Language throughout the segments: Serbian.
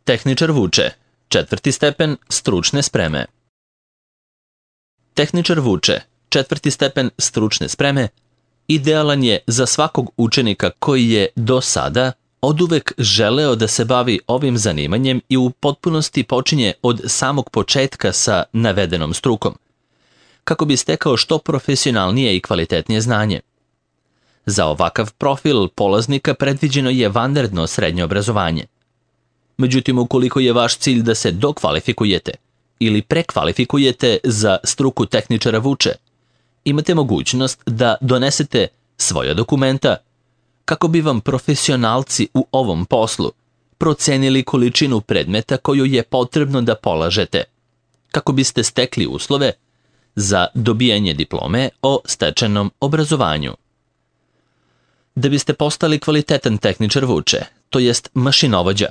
Tehničar vuče, 4. stepen stručne spreme. Tehničar vuče, 4. stepen stručne spreme, idealan je za svakog učenika koji je do sada oduvek želeo da se bavi ovim zanimanjem i u potpunosti počinje od samog početka sa navedenom strukom, kako bi stekao što profesionalnije i kvalitetnije znanje. Za ovakav profil polaznika predviđeno je vanredno srednje obrazovanje. Međutim, ukoliko je vaš cilj da se dokvalifikujete ili prekvalifikujete za struku tehničara vuče, imate mogućnost da donesete svoja dokumenta kako bi vam profesionalci u ovom poslu procenili količinu predmeta koju je potrebno da polažete, kako biste stekli uslove za dobijanje diplome o stečenom obrazovanju. Da biste postali kvalitetan tehničar vuče, to jest mašinovođa,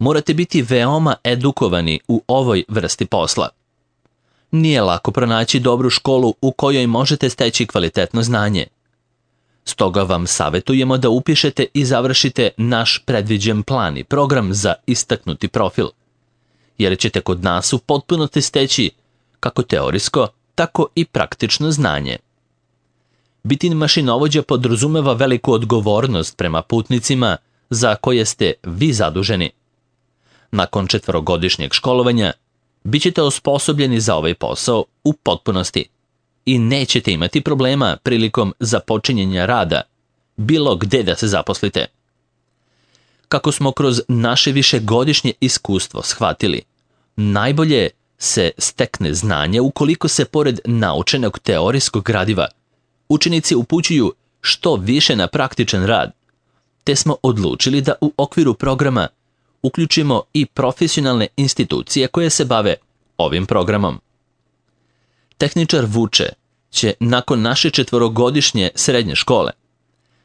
morate biti veoma edukovani u ovoj vrsti posla. Nije lako pronaći dobru školu u kojoj možete steći kvalitetno znanje. Stoga vam savjetujemo da upišete i završite naš predviđen plan i program za istaknuti profil, jer ćete kod nas u potpunosti steći kako teorijsko, tako i praktično znanje. Biti mašinovođa podrazumeva veliku odgovornost prema putnicima za koje ste vi zaduženi. Nakon 4-godišnjeg školovanja bit ćete osposobljeni za ovaj posao u potpunosti i nećete imati problema prilikom započinjenja rada, bilo gde da se zaposlite. Kako smo kroz naše višegodišnje iskustvo shvatili, najbolje se stekne znanje ukoliko se pored naučenog teorijskog gradiva učenici upućuju što više na praktičan rad, te smo odlučili da u okviru programa uključimo i profesionalne institucije koje se bave ovim programom. Tehničar vuče će nakon naše 4-godišnje srednje škole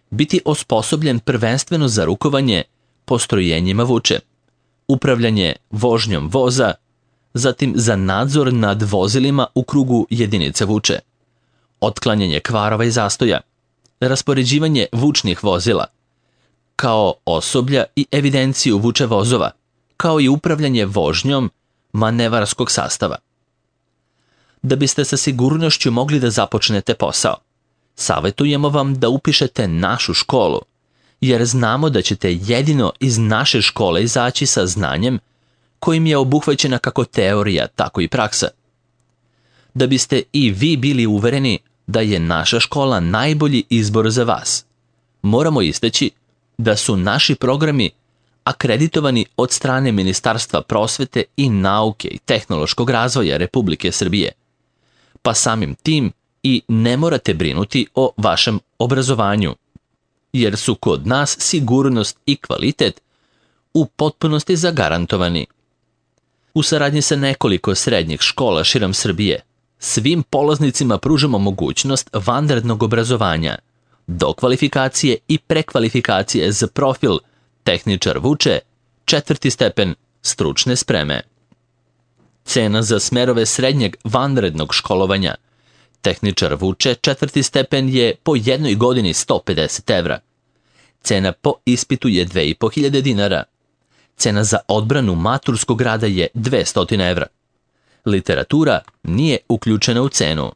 biti osposobljen prvenstveno za rukovanje postrojenjima vuče, upravljanje vožnjom voza, zatim za nadzor nad vozilima u krugu jedinice vuče, otklanjanje kvarova i zastoja, raspoređivanje vučnih vozila, kao osoblja i evidenciju vuče vozova, kao i upravljanje vožnjom manevarskog sastava. Da biste sa sigurnošću mogli da započnete posao, savjetujemo vam da upišete našu školu, jer znamo da ćete jedino iz naše škole izaći sa znanjem kojim je obuhvaćena kako teorija, tako i praksa. Da biste i vi bili uvereni da je naša škola najbolji izbor za vas, moramo istaći da su naši programi akreditovani od strane Ministarstva prosvete i nauke i tehnološkog razvoja Republike Srbije, pa samim tim i ne morate brinuti o vašem obrazovanju, jer su kod nas sigurnost i kvalitet u potpunosti zagarantovani. U saradnji sa nekoliko srednjih škola širom Srbije, svim polaznicima pružamo mogućnost vanrednog obrazovanja, dokvalifikacije i prekvalifikacije za profil tehničar vuče, 4. stepen stručne spreme. Cena za smerove srednjeg vanrednog školovanja tehničar vuče, 4. stepen je po jednoj godini 150 evra. Cena po ispitu je 2500 dinara. Cena za odbranu maturskog rada je 200 evra. Literatura nije uključena u cenu.